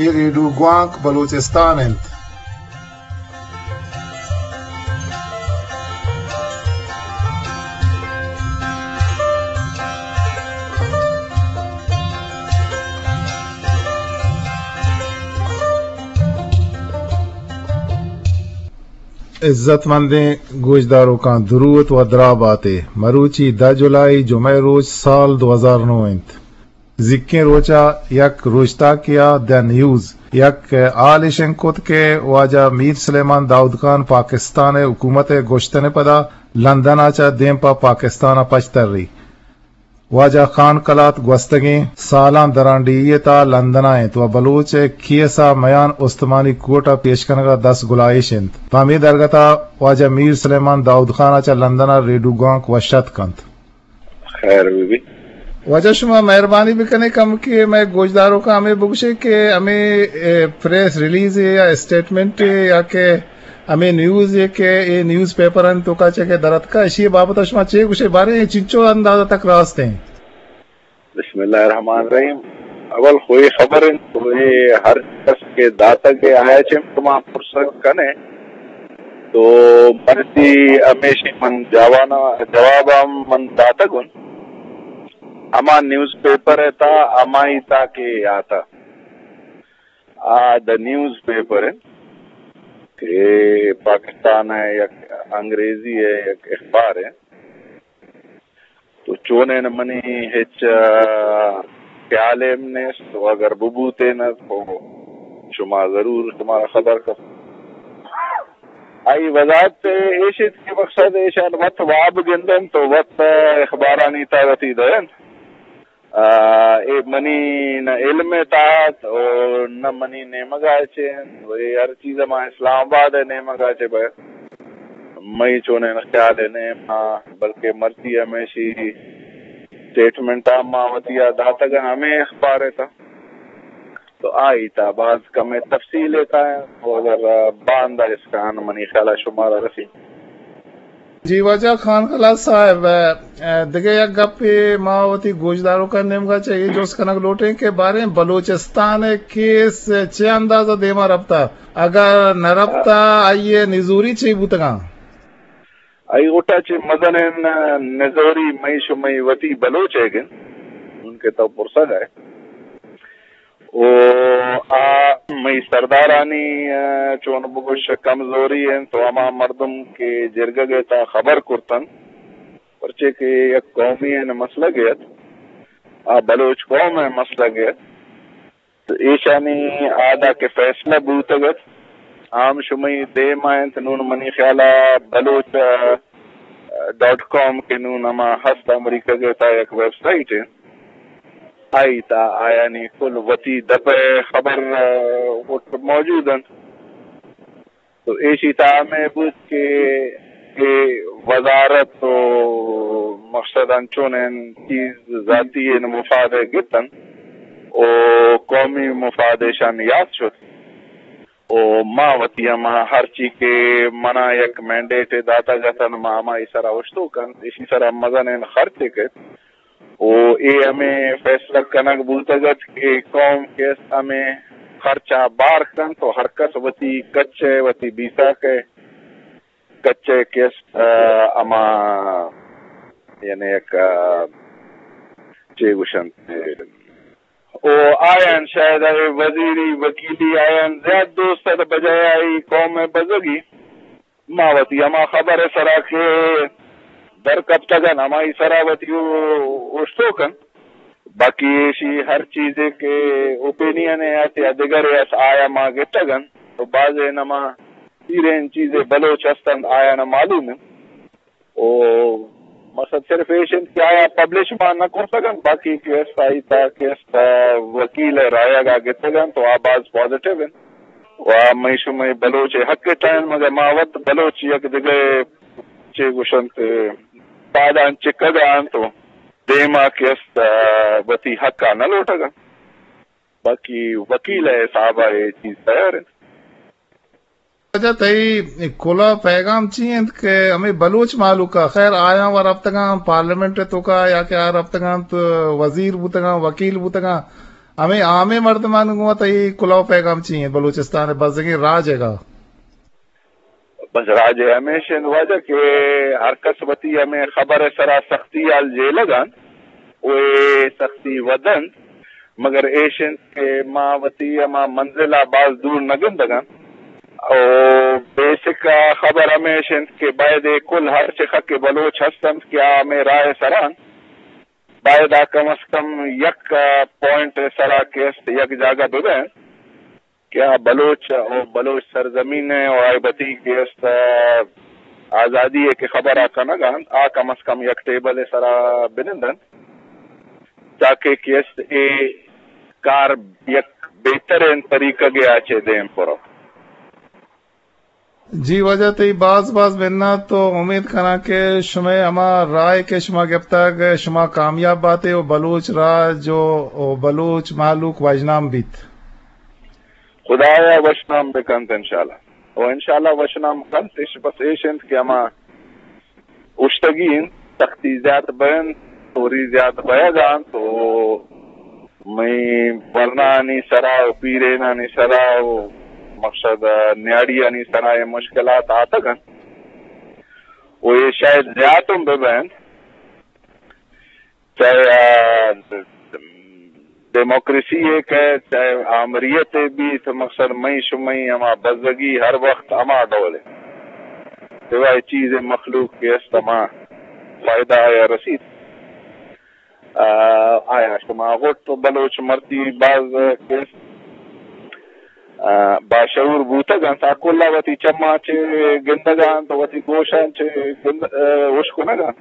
اے ریڈیو گوانک بلوچستان انت۔ عزت مندیں گوشداروکاں دروت و دراہ باتے۔ مروچی دہ جولائی جمعہ روچ سال دو ہزار نو انت۔ زیکیں روچ ء یک روچتاکے ء دی نیوز یک ہالے شنگ کت کہ واجہ میر سلیمان داؤد خان پاکستان ء حکومت ء گوشتن ء پدا لندن ء چہ دیم پہ پاکستان ء پچ تری۔ واجہ خان کلات گوستگیں سالاں درانڈیھی ء تھا لندن ء انت و بلوچ ء کیس ء میان استمانی کورٹ ء پیش کنگ ء دست گلائیش انت۔ پہ ہمے درگت ء واجہ میر سلیمان داؤد خان ء چہ لندن ء ریڈیو گوانک وش اتک کنت۔ خیر بہ بیت۔ واجہ شما مہربانی بکنے کم کہ مئے گوشداروکاں ہمے بگوشے کہ ہمے، اے، پریس ریلیز یا اسٹیٹمنٹ یا کہ ہمے نیوز کہ اے نیوز پیپر انت توکا چہ کہ درتکا، اشی بابت شما چے گوشے؟ بارے اے چنچو اندازہ تک راست ہیں؟ بسم اللہ الرحمن الرحیم۔ اول خو اے خبر انت تو اے ہر کس کہ داتگ اے آیا چہ شما پرسگ کنے تو مرچی ہمیشی من جوانا، جواب ہم من داتگ انت۔ ہما نیوز پیپر ء تھا، ہمائی تھا کہ آتا۔ آ دا نیوز پیپر انت کہ پاکستان ء یک انگریزی ء یک اخبار انت۔ تو چونین منی ہچ، آ، خیال ہم نیست، و اگر ببوتین تو شما ضرور شمارا خبر کپ۔ آئی وضاحت ایش ایت کہ مقصد ایشان وت واب گندن تو وت اخبارانی تا وتی دین۔ آ، اے منی نہ علم ء تحت اور نہ منی نیمگا چے انت۔ و اے ہر چیز ما اسلام آباد ء نیمگا چے بہ مئی چونیں خیال ء نیم ہاں، بلکہ مرچی ہمیشی اسٹیٹمنٹ ہم ما وتی آ داتگ ہمیں اخبار ء تھا۔ تو آئی تا باز کم تفصیل ء تھا، تو اگر باندا اسکان منی خیال ء شمارا رسی۔ جی واجہ خان خلاص صاحب، ء، دگہ یک گپے ما وتی گوشداروکاں نیمگا چہ اے جست کنگ لوٹیں کہ باریں بلوچستان ء کیس چہ اندازہ دیما رپتا؟ اگاں نہ رپتا، آئی ء نزوری چی بوتگاں؟ آئی غٹا چہ مزنیں نزوری مئی شمئی وتی بلوچ ء گن، چون کہ تو پرسگ ء۔ او آ مئی سردارانی، ء، چون بگوش کمزوری انت، تو ہما مردم کہ جرگگ ء تا خبر کرتن، پرچے کہ یک قومی ء مسئلہ ات، آ بلوچ قوم ء مسئلہ ات، تو ایشانی آدا کہ فیصلہ بوتگ ات، آ ہم شمئی دیم ء انت۔ نون منی خیال ء بلوچ، ء، ڈاٹ کام کہ نون ہما ہست امریکہ ء تا یک ویب سائٹ انت، آئی تا آیانی کل وتی دپ ء خبر، ء، وت موجود انت۔ تو ایشی تا ہمے بوت کہ اے وزارت و مقصد انچونیں چیز ذاتی ء مفاد ء گتن و قومی مفاد ایشان یات شت۔ و ما وتی ہما ہرچی کہ منا یک مینڈیٹ داتگ اتن، ما ہمائی سرا اوشتوک انت، ایشی سرا مزنیں خرچے کت۔ و اے ہمے فیصلہ کنگ بوتگ ات کہ قوم کہ است ہمے خرچا بار کنت و ہر کس وتی کچ ء، وتی بیساک ء کچ ء کہ است، ء، ہما یعنی یک، ء، چے گوشنت، و آیان شاید اے وزیری، وکیلی آیان زیات دوست ات بجائے آئی قوم ء بزگی۔ ما وتی ہما خبر ء سرا کہ در کپتگن، ہمائی سرا وتی او-، اوشتوکن۔ باقی ایشی ہر چیزے کہ اوپینین ء ات یا دگرے ات، آیا ما گپتگن۔ تو بازے نما پیرین چیزے بلوچ ہستن، آیا نہ معلوم انت۔ او مقصد صرف ایش انت کہ آیا پبلش ما نہ کرتگ انت، باقی کہ است آئی تا کہ است وکیل ء رایگ ء گتگ انت، تو آ باز پازیٹیو انت۔ و مئی شمئی بلوچ ء حق ء تہا انت، مگر ما وت بلوچ یک دگہ چے گوشنت، پادان چکگ ء انت و دیما کہ است وتی حق ء نہ لوٹگ انت۔ باقی وکیل ء حساب ء اے چیز تیار انت۔ اچھا، تئی کلا پیغام چی انت کہ ہمیں بلوچ مہلوک ء، خیر، آیاں و رپتگاں پارلیمنٹ ء توکا یا کہ آ رپتگاں تو وزیر بوتگاں، وکیل بوتگاں، ہمے عامیں مردمانی گوں تئی کلوہ پیغام چی انت بلوچستان ءِ بزگیں راج ءِ گا؟ بس راج ءِ ہمیش انت واجہ کہ ہر کس وتی ہمے خبر ءِ سرا سختی حال جیلگ انت و اے سختی ودنت، مگر ایش انت کہ ما وتی ہما منزل ءَ باز دور نہ گندگ انت۔ او بیسک ءَ خبر ہمیش انت کہ باید اے کل ہر چخ کہ بلوچ ہست انت کہ آ ہمے راہ ءِ سرا انت، باید آ کم از کم یک پوائنٹ ءِ سرا کہ است یک جاگہ بہ بنت کہ آ بلوچ و بلوچ سرزمین ءِ و آئی وتی کہ است آزادی ءِ کہ خبر ءَ کنگ ءَ انت، آ کم از کم یک ٹیبل ءِ سرا بنند انت، تاکہ کہ است اے کار یک بہترین طریقہ ءَ چہ دیم پر انت۔ جی واجہ، تئی باز باز منت و امید کناں کہ شمئے ہما راہ کہ شما گپتگ، شما کامیاب باتے و بلوچ راج و، و بلوچ مہلوک وژنام بیت۔ خدایا وشنام بکنت انشاءاللہ۔ و انشاءاللہ وشنام کنت، اش بس ایش انت کہ ہما اوشتگی انت، سختی زیات بینت، توری زیات بیگ انت و مئی ورنانی سرا و پیرینانی سرا و مقصد نیاڑیانی سرا اے مشکلات آتگ انت و اے شاید زیات ہم بہ بینت۔ چاہے، آ، ڈیموکریسی ءِ کہ چاہے آمریت ءِ بیت، مقصد مئی شمئی ہما بزگی ہر وقت ہما ڈول ءَ۔ سوائے چیز مخلوق کہ است ہما فائدہ آیا رسیت۔ آ، آیا شما غٹ بلوچ مرتی باز کہ است، آ، باشعور بوتگ انت، آ کلا وتی چماں چہ گندگ انت، وتی گوشاں چہ گند-، آ، ہوش کنگ انت۔